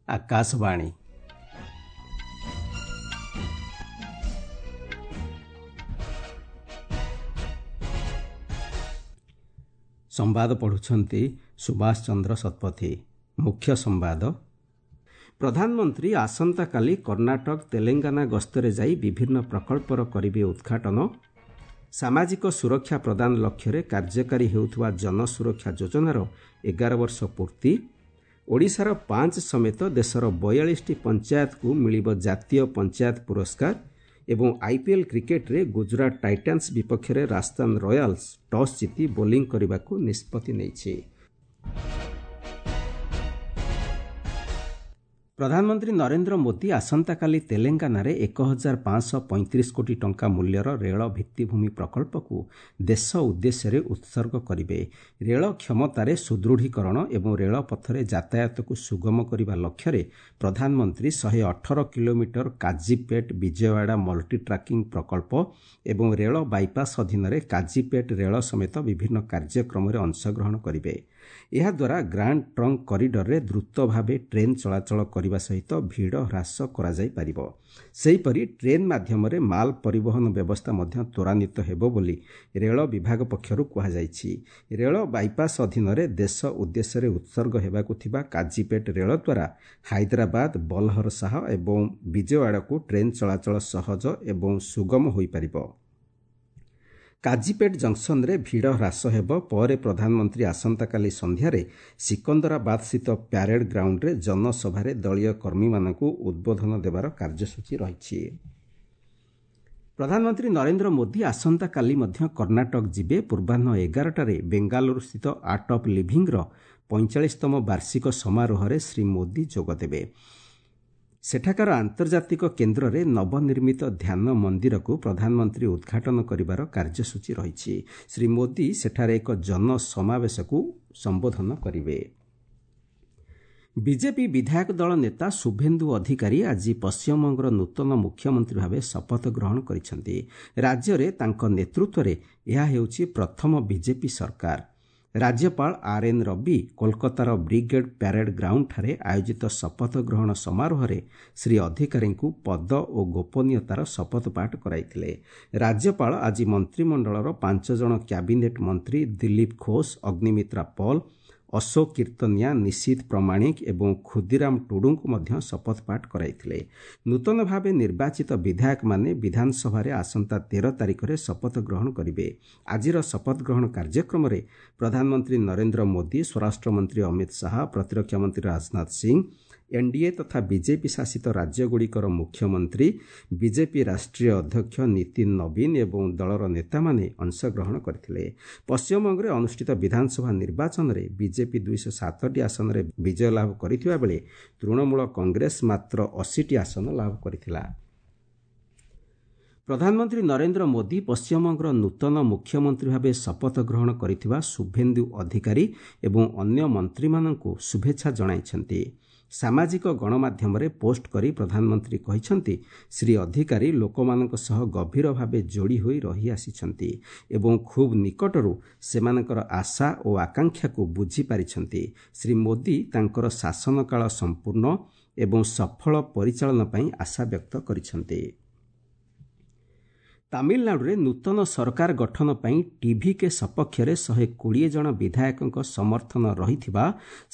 ଆକାଶବାଣୀ। ସମ୍ବାଦ ପଢ଼ୁଛନ୍ତି ସୁଭାଷ ଚନ୍ଦ୍ର ଶତପଥୀ। ମୁଖ୍ୟ ସମ୍ବାଦ। ପ୍ରଧାନମନ୍ତ୍ରୀ ଆସନ୍ତାକାଲି କର୍ଣ୍ଣାଟକ, ତେଲେଙ୍ଗାନା ଗସ୍ତରେ ଯାଇ ବିଭିନ୍ନ ପ୍ରକଳ୍ପର କରିବେ ଉଦ୍ଘାଟନ। ସାମାଜିକ ସୁରକ୍ଷା ପ୍ରଦାନ ଲକ୍ଷ୍ୟରେ କାର୍ଯ୍ୟକାରୀ ହେଉଥିବା ଜନସୁରକ୍ଷା ଯୋଜନାର 11 ବର୍ଷ ପୂର୍ତ୍ତି। ଓଡ଼ିଶାର 5 ସମେତ ଦେଶର 42ଟି ପଞ୍ଚାୟତକୁ ମିଳିବ ଜାତୀୟ ପଞ୍ଚାୟତ ପୁରସ୍କାର। ଏବଂ ଆଇପିଏଲ୍ କ୍ରିକେଟରେ ଗୁଜରାଟ ଟାଇଟାନ୍ସ ବିପକ୍ଷରେ ରାଜସ୍ଥାନ ରୟାଲ୍ସ ଟସ୍ ଜିତି ବୋଲିଂ କରିବାକୁ ନିଷ୍ପତ୍ତି ନେଇଛି। ପ୍ରଧାନମନ୍ତ୍ରୀ ନରେନ୍ଦ୍ର ମୋଦି ଆସନ୍ତାକାଲି ତେଲେଙ୍ଗାନାରେ 1535 କୋଟି ଟଙ୍କା ମୂଲ୍ୟର ରେଳ ଭିତ୍ତିଭୂମି ପ୍ରକଳ୍ପକୁ ଦେଶ ଉଦ୍ଦେଶ୍ୟରେ ଉତ୍ସର୍ଗ କରିବେ। ରେଳ କ୍ଷମତାରେ ସୁଦୃଢ଼ୀକରଣ ଏବଂ ରେଳପଥରେ ଯାତାୟାତକୁ ସୁଗମ କରିବା ଲକ୍ଷ୍ୟରେ ପ୍ରଧାନମନ୍ତ୍ରୀ 118 କିଲୋମିଟର କାଜିପେଟ୍ ବିଜୟୱାଡ଼ା ମଲ୍ଟି ଟ୍ରାକିଂ ପ୍ରକଳ୍ପ ଏବଂ ରେଳ ବାଇପାସ୍ ଅଧୀନରେ କାଜିପେଟ୍ ରେଳ ସମେତ ବିଭିନ୍ନ କାର୍ଯ୍ୟକ୍ରମରେ ଅଂଶଗ୍ରହଣ କରିବେ। ଏହାଦ୍ୱାରା ଗ୍ରାଣ୍ଡ ଟ୍ରଙ୍କ କରିଡରରେ ଦ୍ରୁତ ଭାବେ ଟ୍ରେନ୍ ଚଳାଚଳ କରିବା ସହିତ ଭିଡ଼ ହ୍ରାସ କରାଯାଇପାରିବ। ସେହିପରି ଟ୍ରେନ୍ ମାଧ୍ୟମରେ ମାଲ ପରିବହନ ବ୍ୟବସ୍ଥା ମଧ୍ୟ ତ୍ୱରାନ୍ୱିତ ହେବ ବୋଲି ରେଳ ବିଭାଗ ପକ୍ଷରୁ କୁହାଯାଇଛି। ରେଳ ବାଇପାସ୍ ଅଧୀନରେ ଦେଶ ଉଦ୍ଦେଶ୍ୟରେ ଉତ୍ସର୍ଗ ହେବାକୁ ଥିବା କାଜିପେଟ୍ ରେଳ ଦ୍ୱାରା ହାଇଦ୍ରାବାଦ, ବଲହରଶାହ ଏବଂ ବିଜୟୱାଡ଼ାକୁ ଟ୍ରେନ୍ ଚଳାଚଳ ସହଜ ଏବଂ ସୁଗମ ହୋଇପାରିବ। କାଜିପେଟ୍ ଜଙ୍କସନରେ ଭିଡ଼ ହ୍ରାସ ହେବ। ପରେ ପ୍ରଧାନମନ୍ତ୍ରୀ ଆସନ୍ତାକାଲି ସନ୍ଧ୍ୟାରେ ସିକନ୍ଦରାବାଦସ୍ଥିତ ପ୍ୟାରେଡ୍ ଗ୍ରାଉଣ୍ଡରେ ଜନସଭାରେ ଦଳୀୟ କର୍ମୀମାନଙ୍କୁ ଉଦ୍ବୋଧନ ଦେବାର କାର୍ଯ୍ୟସୂଚୀ ରହିଛି। ପ୍ରଧାନମନ୍ତ୍ରୀ ନରେନ୍ଦ୍ର ମୋଦି ଆସନ୍ତାକାଲି ମଧ୍ୟ କର୍ଣ୍ଣାଟକ ଯିବେ। ପୂର୍ବାହ୍ନ 11ଟାରେ ବେଙ୍ଗାଲୁରୁସ୍ଥିତ ଆର୍ଟ ଅଫ୍ ଲିଭିଂର 45ତମ ବାର୍ଷିକ ସମାରୋହରେ ଶ୍ରୀ ମୋଦି ଯୋଗଦେବେ। ସେଠାକାର ଆନ୍ତର୍ଜାତିକ କେନ୍ଦ୍ରରେ ନବନିର୍ମିତ ଧ୍ୟାନ ମନ୍ଦିରକୁ ପ୍ରଧାନମନ୍ତ୍ରୀ ଉଦ୍ଘାଟନ କରିବାର କାର୍ଯ୍ୟସୂଚୀ ରହିଛି। ଶ୍ରୀ ମୋଦି ସେଠାରେ ଏକ ଜନସମାବେଶକୁ ସମ୍ବୋଧନ କରିବେ। ବିଜେପି ବିଧାୟକ ଦଳ ନେତା ଶୁଭେନ୍ଦୁ ଅଧିକାରୀ ଆଜି ପଶ୍ଚିମବଙ୍ଗର ନୂତନ ମୁଖ୍ୟମନ୍ତ୍ରୀ ଭାବେ ଶପଥ ଗ୍ରହଣ କରିଛନ୍ତି। ରାଜ୍ୟରେ ତାଙ୍କ ନେତୃତ୍ୱରେ ଏହା ହେଉଛି ପ୍ରଥମ ବିଜେପି ସରକାର। ରାଜ୍ୟପାଳ ଆର୍ ଏନ୍ ରବି କୋଲକାତାର ବ୍ରିଗେଡ୍ ପ୍ୟାରେଡ୍ ଗ୍ରାଉଣ୍ଡଠାରେ ଆୟୋଜିତ ଶପଥ ଗ୍ରହଣ ସମାରୋହରେ ଶ୍ରୀ ଅଧିକାରୀଙ୍କୁ ପଦ ଓ ଗୋପନୀୟତାର ଶପଥ ପାଠ କରାଇଥିଲେ। ରାଜ୍ୟପାଳ ଆଜି ମନ୍ତ୍ରିମଣ୍ଡଳର 5 ଜଣ କ୍ୟାବିନେଟ୍ ମନ୍ତ୍ରୀ ଦିଲ୍ଲୀପ ଘୋଷ, ଅଗ୍ନିମିତ୍ରା ପଲ୍, ଅଶୋକ କୀର୍ତ୍ତନିଆ, ନିଶିତ ପ୍ରମାଣିକ ଏବଂ ଖୁଦିରାମ ଟୁଡୁଙ୍କୁ ମଧ୍ୟ ଶପଥ ପାଠ କରାଇଥିଲେ। ନୂତନ ଭାବେ ନିର୍ବାଚିତ ବିଧାୟକମାନେ ବିଧାନସଭାରେ ଆସନ୍ତା 13 ତାରିଖରେ ଶପଥ ଗ୍ରହଣ କରିବେ। ଆଜିର ଶପଥ ଗ୍ରହଣ କାର୍ଯ୍ୟକ୍ରମରେ ପ୍ରଧାନମନ୍ତ୍ରୀ ନରେନ୍ଦ୍ର ମୋଦି, ସ୍ୱରାଷ୍ଟ୍ରମନ୍ତ୍ରୀ ଅମିତ ଶାହା, ପ୍ରତିରକ୍ଷା ମନ୍ତ୍ରୀ ରାଜନାଥ ସିଂ, ଏନ୍ଡିଏ ତଥା ବିଜେପି ଶାସିତ ରାଜ୍ୟଗୁଡ଼ିକର ମୁଖ୍ୟମନ୍ତ୍ରୀ, ବିଜେପି ରାଷ୍ଟ୍ରୀୟ ଅଧ୍ୟକ୍ଷ ନୀତିନ ନବୀନ ଏବଂ ଦଳର ନେତାମାନେ ଅଂଶଗ୍ରହଣ କରିଥିଲେ। ପଶ୍ଚିମବଙ୍ଗରେ ଅନୁଷ୍ଠିତ ବିଧାନସଭା ନିର୍ବାଚନରେ ବିଜେପି 207ଟି ଆସନରେ ବିଜୟ ଲାଭ କରିଥିବା ବେଳେ ତୃଣମୂଳ କଂଗ୍ରେସ ମାତ୍ର 80ଟି ଆସନ ଲାଭ କରିଥିଲା। ପ୍ରଧାନମନ୍ତ୍ରୀ ନରେନ୍ଦ୍ର ମୋଦି ପଶ୍ଚିମବଙ୍ଗର ନୂତନ ମୁଖ୍ୟମନ୍ତ୍ରୀ ଭାବେ ଶପଥ ଗ୍ରହଣ କରିଥିବା ଶୁଭେନ୍ଦୁ ଅଧିକାରୀ ଏବଂ ଅନ୍ୟ ମନ୍ତ୍ରୀମାନଙ୍କୁ ଶୁଭେଚ୍ଛା ଜଣାଇଛନ୍ତି। ସାମାଜିକ ଗଣମାଧ୍ୟମରେ ପୋଷ୍ଟ କରି ପ୍ରଧାନମନ୍ତ୍ରୀ କହିଛନ୍ତି, ଶ୍ରୀ ଅଧିକାରୀ ଲୋକମାନଙ୍କ ସହ ଗଭୀର ଭାବେ ଯୋଡ଼ି ହୋଇ ରହିଆସିଛନ୍ତି ଏବଂ ଖୁବ୍ ନିକଟରୁ ସେମାନଙ୍କର ଆଶା ଓ ଆକାଂକ୍ଷାକୁ ବୁଝିପାରିଛନ୍ତି। ଶ୍ରୀ ମୋଦି ତାଙ୍କର ଶାସନକାଳ ସମ୍ପୂର୍ଣ୍ଣ ଏବଂ ସଫଳ ପରିଚାଳନା ପାଇଁ ଆଶା ବ୍ୟକ୍ତ କରିଛନ୍ତି। ତାମିଲନାଡୁରେ ନୂତନ ସରକାର ଗଠନ ପାଇଁ ଟିଭିକେ ସପକ୍ଷରେ 120 ଜଣ ବିଧାୟକଙ୍କ ସମର୍ଥନ ରହିଥିବା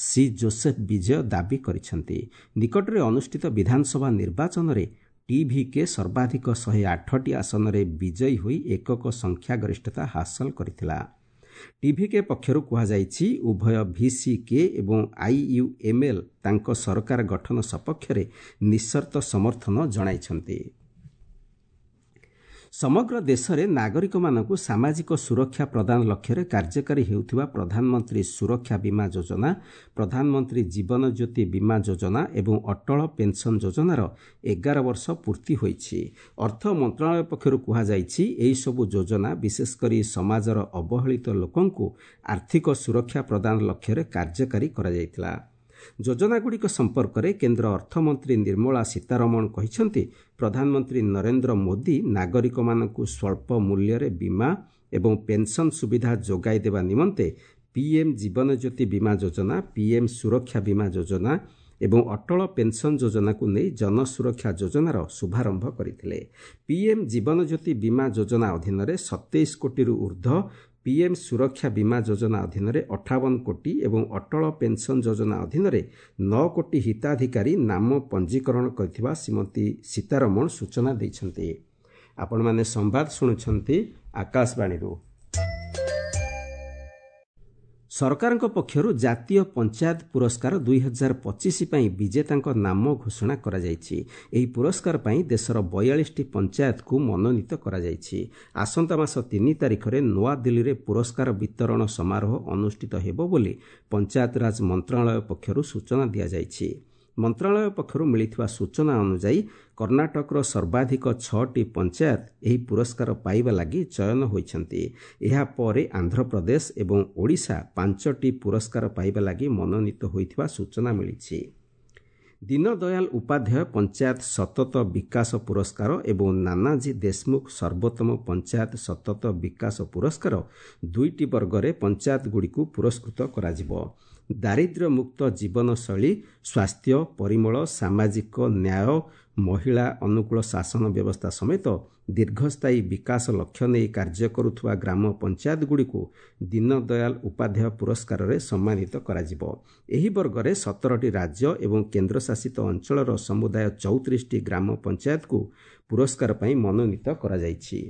ସି ଜୋସେଫ ବିଜୟ ଦାବି କରିଛନ୍ତି। ନିକଟରେ ଅନୁଷ୍ଠିତ ବିଧାନସଭା ନିର୍ବାଚନରେ ଟିଭିକେ ସର୍ବାଧିକ 108ଟି ଆସନରେ ବିଜୟୀ ହୋଇ ଏକକ ସଂଖ୍ୟାଗରିଷ୍ଠତା ହାସଲ କରିଥିଲା। ଟିଭିକେ ପକ୍ଷରୁ କୁହାଯାଇଛି, ଉଭୟ ଭିସିକେ ଏବଂ ଆଇୟୁଏମ୍ଏଲ୍ ତାଙ୍କ ସରକାର ଗଠନ ସପକ୍ଷରେ ନିଃସର୍ତ୍ତ ସମର୍ଥନ ଜଣାଇଛନ୍ତି। ସମଗ୍ର ଦେଶରେ ନାଗରିକମାନଙ୍କୁ ସାମାଜିକ ସୁରକ୍ଷା ପ୍ରଦାନ ଲକ୍ଷ୍ୟରେ କାର୍ଯ୍ୟକାରୀ ହେଉଥିବା ପ୍ରଧାନମନ୍ତ୍ରୀ ସୁରକ୍ଷା ବୀମା ଯୋଜନା, ପ୍ରଧାନମନ୍ତ୍ରୀ ଜୀବନ ଜ୍ୟୋତି ବୀମା ଯୋଜନା ଏବଂ ଅଟଳ ପେନ୍ସନ୍ ଯୋଜନାର 11 ବର୍ଷ ପୂର୍ତ୍ତି ହୋଇଛି। ଅର୍ଥ ମନ୍ତ୍ରଣାଳୟ ପକ୍ଷରୁ କୁହାଯାଇଛି, ଏହିସବୁ ଯୋଜନା ବିଶେଷକରି ସମାଜର ଅବହେଳିତ ଲୋକଙ୍କୁ ଆର୍ଥିକ ସୁରକ୍ଷା ପ୍ରଦାନ ଲକ୍ଷ୍ୟରେ କାର୍ଯ୍ୟକାରୀ କରାଯାଇଥିଲା। ଯୋଜନାଗୁଡ଼ିକ ସମ୍ପର୍କରେ କେନ୍ଦ୍ର ଅର୍ଥମନ୍ତ୍ରୀ ନିର୍ମଳା ସୀତାରମଣ କହିଛନ୍ତି, ପ୍ରଧାନମନ୍ତ୍ରୀ ନରେନ୍ଦ୍ର ମୋଦି ନାଗରିକମାନଙ୍କୁ ସ୍ୱଳ୍ପ ମୂଲ୍ୟରେ ବୀମା ଏବଂ ପେନ୍ସନ୍ ସୁବିଧା ଯୋଗାଇ ଦେବା ନିମନ୍ତେ ପିଏମ୍ ଜୀବନ ଜ୍ୟୋତି ବୀମା ଯୋଜନା, ପିଏମ୍ ସୁରକ୍ଷା ବୀମା ଯୋଜନା ଏବଂ ଅଟଳ ପେନ୍ସନ୍ ଯୋଜନାକୁ ନେଇ ଜନସୁରକ୍ଷା ଯୋଜନାର ଶୁଭାରମ୍ଭ କରିଥିଲେ। ପିଏମ୍ ଜୀବନଜ୍ୟୋତି ବୀମା ଯୋଜନା ଅଧୀନରେ 27 କୋଟିରୁ ଉର୍ଦ୍ଧ୍ୱ, ପିଏମ୍ ସୁରକ୍ଷା ବୀମା ଯୋଜନା ଅଧୀନରେ 58 କୋଟି ଏବଂ ଅଟଳ ପେନ୍ସନ୍ ଯୋଜନା ଅଧୀନରେ 9 କୋଟି ହିତାଧିକାରୀ ନାମ ପଞ୍ଜୀକରଣ କରିଥିବା ଶ୍ରୀମତୀ ସୀତାରମଣ ସୂଚନା ଦେଇଛନ୍ତି। ଆପଣମାନେ ସମ୍ବାଦ ଶୁଣୁଛନ୍ତି ଆକାଶବାଣୀରୁ। ସରକାରଙ୍କ ପକ୍ଷରୁ ଜାତୀୟ ପଞ୍ଚାୟତ ପୁରସ୍କାର 2025 ପାଇଁ ବିଜେତାଙ୍କ ନାମ ଘୋଷଣା କରାଯାଇଛି। ଏହି ପୁରସ୍କାର ପାଇଁ ଦେଶର 42ଟି ପଞ୍ଚାୟତକୁ ମନୋନୀତ କରାଯାଇଛି। ଆସନ୍ତା ମାସ 3 ତାରିଖରେ ନୂଆଦିଲ୍ଲୀରେ ପୁରସ୍କାର ବିତରଣ ସମାରୋହ ଅନୁଷ୍ଠିତ ହେବ ବୋଲି ପଞ୍ଚାୟତରାଜ ମନ୍ତ୍ରଣାଳୟ ପକ୍ଷରୁ ସୂଚନା ଦିଆଯାଇଛି। ମନ୍ତ୍ରଣାଳୟ ପକ୍ଷରୁ ମିଳିଥିବା ସୂଚନା ଅନୁଯାୟୀ କର୍ଣ୍ଣାଟକର ସର୍ବାଧିକ 6ଟି ପଞ୍ଚାୟତ ଏହି ପୁରସ୍କାର ପାଇବା ଲାଗି ଚୟନ ହୋଇଛନ୍ତି। ଏହାପରେ ଆନ୍ଧ୍ରପ୍ରଦେଶ ଏବଂ ଓଡ଼ିଶା 5ଟି ପୁରସ୍କାର ପାଇବା ଲାଗି ମନୋନୀତ ହୋଇଥିବା ସୂଚନା ମିଳିଛି। ଦୀନଦୟାଲ ଉପାଧ୍ୟାୟ ପଞ୍ଚାୟତ ସତତ ବିକାଶ ପୁରସ୍କାର ଏବଂ ନାନାଜୀ ଦେଶମୁଖ ସର୍ବୋତ୍ତମ ପଞ୍ଚାୟତ ସତତ ବିକାଶ ପୁରସ୍କାର 2ଟି ବର୍ଗରେ ପଞ୍ଚାୟତଗୁଡ଼ିକୁ ପୁରସ୍କୃତ କରାଯିବ। ଦାରିଦ୍ର୍ୟମୁକ୍ତ ଜୀବନଶୈଳୀ, ସ୍ୱାସ୍ଥ୍ୟ, ପରିମଳ, ସାମାଜିକ ନ୍ୟାୟ, ମହିଳା ଅନୁକୂଳ ଶାସନ ବ୍ୟବସ୍ଥା ସମେତ ଦୀର୍ଘସ୍ଥାୟୀ ବିକାଶ ଲକ୍ଷ୍ୟ ନେଇ କାର୍ଯ୍ୟ କରୁଥିବା ଗ୍ରାମ ପଞ୍ଚାୟତଗୁଡ଼ିକୁ ଦୀନଦୟାଲ ଉପାଧ୍ୟାୟ ପୁରସ୍କାରରେ ସମ୍ମାନିତ କରାଯିବ। ଏହି ବର୍ଗରେ 17ଟି ରାଜ୍ୟ ଏବଂ କେନ୍ଦ୍ରଶାସିତ ଅଞ୍ଚଳର ସମୁଦାୟ 34ଟି ଗ୍ରାମ ପଞ୍ଚାୟତକୁ ପୁରସ୍କାର ପାଇଁ ମନୋନୀତ କରାଯାଇଛି।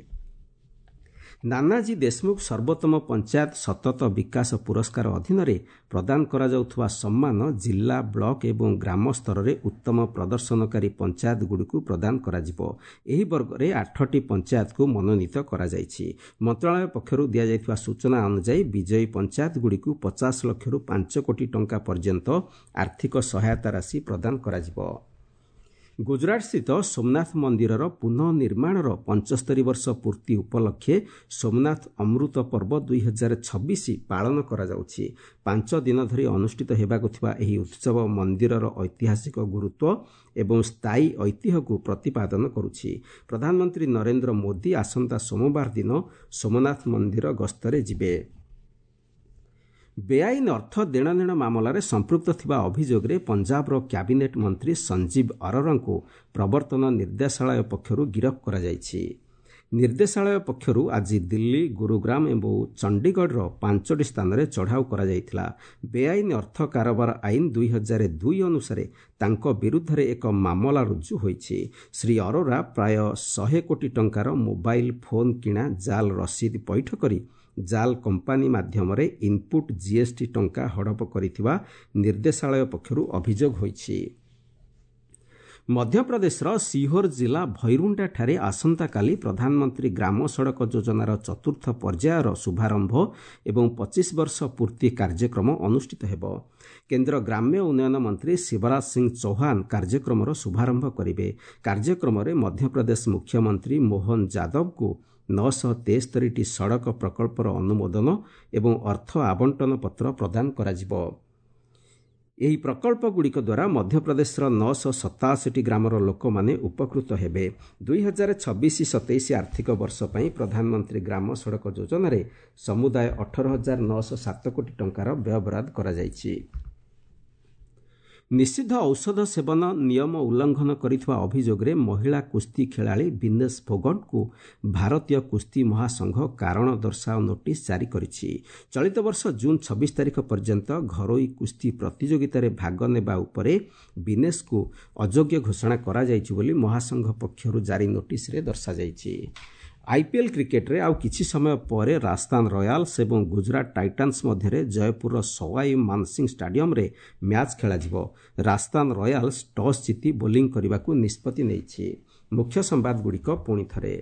ନାନାଜୀ ଦେଶମୁଖ ସର୍ବୋତ୍ତମ ପଞ୍ଚାୟତ ସତତ ବିକାଶ ପୁରସ୍କାର ଅଧୀନରେ ପ୍ରଦାନ କରାଯାଉଥିବା ସମ୍ମାନ ଜିଲ୍ଲା, ବ୍ଲକ ଏବଂ ଗ୍ରାମ ସ୍ତରରେ ଉତ୍ତମ ପ୍ରଦର୍ଶନକାରୀ ପଞ୍ଚାୟତଗୁଡ଼ିକୁ ପ୍ରଦାନ କରାଯିବ। ଏହି ବର୍ଗରେ 8ଟି ପଞ୍ଚାୟତକୁ ମନୋନୀତ କରାଯାଇଛି। ମନ୍ତ୍ରଣାଳୟ ପକ୍ଷରୁ ଦିଆଯାଇଥିବା ସୂଚନା ଅନୁଯାୟୀ ବିଜୟୀ ପଞ୍ଚାୟତଗୁଡ଼ିକୁ 50 ଲକ୍ଷରୁ 5 କୋଟି ଟଙ୍କା ପର୍ଯ୍ୟନ୍ତ ଆର୍ଥିକ ସହାୟତା ରାଶି ପ୍ରଦାନ କରାଯିବ। ଗୁଜରାଟସ୍ଥିତ ସୋମନାଥ ମନ୍ଦିରର ପୁନଃ ନିର୍ମାଣର 75 ବର୍ଷ ପୂର୍ତ୍ତି ଉପଲକ୍ଷେ ସୋମନାଥ ଅମୃତ ପର୍ବ 2026 ପାଳନ କରାଯାଉଛି। 5 ଦିନ ଧରି ଅନୁଷ୍ଠିତ ହେବାକୁ ଥିବା ଏହି ଉତ୍ସବ ମନ୍ଦିରର ଐତିହାସିକ ଗୁରୁତ୍ୱ ଏବଂ ସ୍ଥାୟୀ ଐତିହ୍ୟକୁ ପ୍ରତିପାଦନ କରୁଛି। ପ୍ରଧାନମନ୍ତ୍ରୀ ନରେନ୍ଦ୍ର ମୋଦି ଆସନ୍ତା ସୋମବାର ଦିନ ସୋମନାଥ ମନ୍ଦିର ଗସ୍ତରେ ଯିବେ। ବେଆଇନ ଅର୍ଥ ଦେଣନେଣ ମାମଲାରେ ସମ୍ପୃକ୍ତ ଥିବା ଅଭିଯୋଗରେ ପଞ୍ଜାବର କ୍ୟାବିନେଟ୍ ମନ୍ତ୍ରୀ ସଞ୍ଜୀବ ଅରୋରାଙ୍କୁ ପ୍ରବର୍ତ୍ତନ ନିର୍ଦ୍ଦେଶାଳୟ ପକ୍ଷରୁ ଗିରଫ କରାଯାଇଛି। ନିର୍ଦ୍ଦେଶାଳୟ ପକ୍ଷରୁ ଆଜି ଦିଲ୍ଲୀ, ଗୁରୁଗ୍ରାମ ଏବଂ ଚଣ୍ଡିଗଡ଼ର 5ଟି ସ୍ଥାନରେ ଚଢ଼ାଉ କରାଯାଇଥିଲା। ବେଆଇନ ଅର୍ଥ କାରବାର ଆଇନ 2002 ଅନୁସାରେ ତାଙ୍କ ବିରୁଦ୍ଧରେ ଏକ ମାମଲା ରୁଜୁ ହୋଇଛି। ଶ୍ରୀ ଅରୋରା ପ୍ରାୟ 100 କୋଟି ଟଙ୍କାର ମୋବାଇଲ ଫୋନ୍ କିଣା ଜାଲ୍ ରସିଦ ପଇଠ କରି ଜାଲ୍ କମ୍ପାନୀ ମାଧ୍ୟମରେ ଇନ୍ପୁଟ୍ ଜିଏସ୍ଟି ଟଙ୍କା ହଡ଼ପ କରିଥିବା ନିର୍ଦ୍ଦେଶାଳୟ ପକ୍ଷରୁ ଅଭିଯୋଗ ହୋଇଛି। ମଧ୍ୟପ୍ରଦେଶର ସିହୋର ଜିଲ୍ଲା ଭୈରୁଣ୍ଡାଠାରେ ଆସନ୍ତାକାଲି ପ୍ରଧାନମନ୍ତ୍ରୀ ଗ୍ରାମ ସଡ଼କ ଯୋଜନାର ଚତୁର୍ଥ ପର୍ଯ୍ୟାୟର ଶୁଭାରମ୍ଭ ଏବଂ 25 ବର୍ଷ ପୂର୍ତ୍ତି କାର୍ଯ୍ୟକ୍ରମ ଅନୁଷ୍ଠିତ ହେବ। କେନ୍ଦ୍ର ଗ୍ରାମ୍ୟ ଉନ୍ନୟନ ମନ୍ତ୍ରୀ ଶିବରାଜ ସିଂ ଚୌହାନ କାର୍ଯ୍ୟକ୍ରମର ଶୁଭାରମ୍ଭ କରିବେ। କାର୍ଯ୍ୟକ୍ରମରେ ମଧ୍ୟପ୍ରଦେଶ ମୁଖ୍ୟମନ୍ତ୍ରୀ ମୋହନ ଯାଦବଙ୍କୁ 973ଟି ସଡ଼କ ପ୍ରକଳ୍ପର ଅନୁମୋଦନ ଏବଂ ଅର୍ଥ ଆବଣ୍ଟନ ପତ୍ର ପ୍ରଦାନ କରାଯିବ। ଏହି ପ୍ରକଳ୍ପଗୁଡ଼ିକ ଦ୍ୱାରା ମଧ୍ୟପ୍ରଦେଶର 987ଟି ଗ୍ରାମର ଲୋକମାନେ ଉପକୃତ ହେବେ। 2026-27 ଆର୍ଥିକ ବର୍ଷ ପାଇଁ ପ୍ରଧାନମନ୍ତ୍ରୀ ଗ୍ରାମ ସଡ଼କ ଯୋଜନାରେ ସମୁଦାୟ 18,907 କୋଟି ଟଙ୍କାର ବ୍ୟୟବରାଦ କରାଯାଇଛି। ନିଷିଦ୍ଧ ଔଷଧ ସେବନ ନିୟମ ଉଲ୍ଲଂଘନ କରିଥିବା ଅଭିଯୋଗରେ ମହିଳା କୁସ୍ତି ଖେଳାଳି ବିନେଶ ଫୋଗଟଙ୍କୁ ଭାରତୀୟ କୁସ୍ତି ମହାସଂଘ କାରଣ ଦର୍ଶାଅ ନୋଟିସ୍ ଜାରି କରିଛି। ଚଳିତ ବର୍ଷ ଜୁନ୍ 26 ତାରିଖ ପର୍ଯ୍ୟନ୍ତ ଘରୋଇ କୁସ୍ତି ପ୍ରତିଯୋଗିତାରେ ଭାଗ ନେବା ଉପରେ ବିନେଶଙ୍କୁ ଅଯୋଗ୍ୟ ଘୋଷଣା କରାଯାଇଛି ବୋଲି ମହାସଂଘ ପକ୍ଷରୁ ଜାରି ନୋଟିସ୍ରେ ଦର୍ଶାଯାଇଛି। ଆଇପିଏଲ୍ କ୍ରିକେଟ୍ରେ ଆଉ କିଛି ସମୟ ପରେ ରାଜସ୍ଥାନ ରୟାଲ୍ସ ଏବଂ ଗୁଜରାଟ ଟାଇଟାନ୍ସ ମଧ୍ୟରେ ଜୟପୁରର ସୱାଇ ମାନସିଂ ଷ୍ଟାଡିୟମରେ ମ୍ୟାଚ୍ ଖେଳାଯିବ। ରାଜସ୍ଥାନ ରୟାଲ୍ସ ଟସ୍ ଜିତି ବୋଲିଂ କରିବାକୁ ନିଷ୍ପତ୍ତି ନେଇଛି। ମୁଖ୍ୟ ସମ୍ବାଦଗୁଡ଼ିକ ପୁଣି ଥରେ।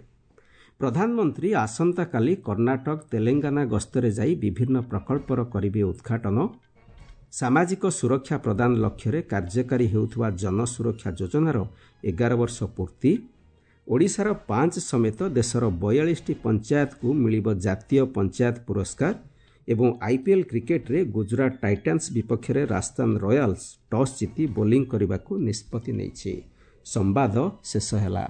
ପ୍ରଧାନମନ୍ତ୍ରୀ ଆସନ୍ତାକାଲି କର୍ଣ୍ଣାଟକ, ତେଲେଙ୍ଗାନା ଗସ୍ତରେ ଯାଇ ବିଭିନ୍ନ ପ୍ରକଳ୍ପର କରିବେ ଉଦ୍ଘାଟନ। ସାମାଜିକ ସୁରକ୍ଷା ପ୍ରଦାନ ଲକ୍ଷ୍ୟରେ କାର୍ଯ୍ୟକାରୀ ହେଉଥିବା ଜନସୁରକ୍ଷା ଯୋଜନାର 11 ବର୍ଷ ପୂର୍ତ୍ତି। ଓଡ଼ିଶାର 5 ସମେତ ଦେଶର 42ଟି ପଞ୍ଚାୟତକୁ ମିଳିବ ଜାତୀୟ ପଞ୍ଚାୟତ ପୁରସ୍କାର ଏବଂ ଆଇପିଏଲ୍ କ୍ରିକେଟ୍ରେ ଗୁଜରାଟ ଟାଇଟାନ୍ସ ବିପକ୍ଷରେ ରାଜସ୍ଥାନ ରୟାଲ୍ସ ଟସ୍ ଜିତି ବୋଲିଂ କରିବାକୁ ନିଷ୍ପତ୍ତି ନେଇଛି। ସମ୍ବାଦ ଶେଷ ହେଲା।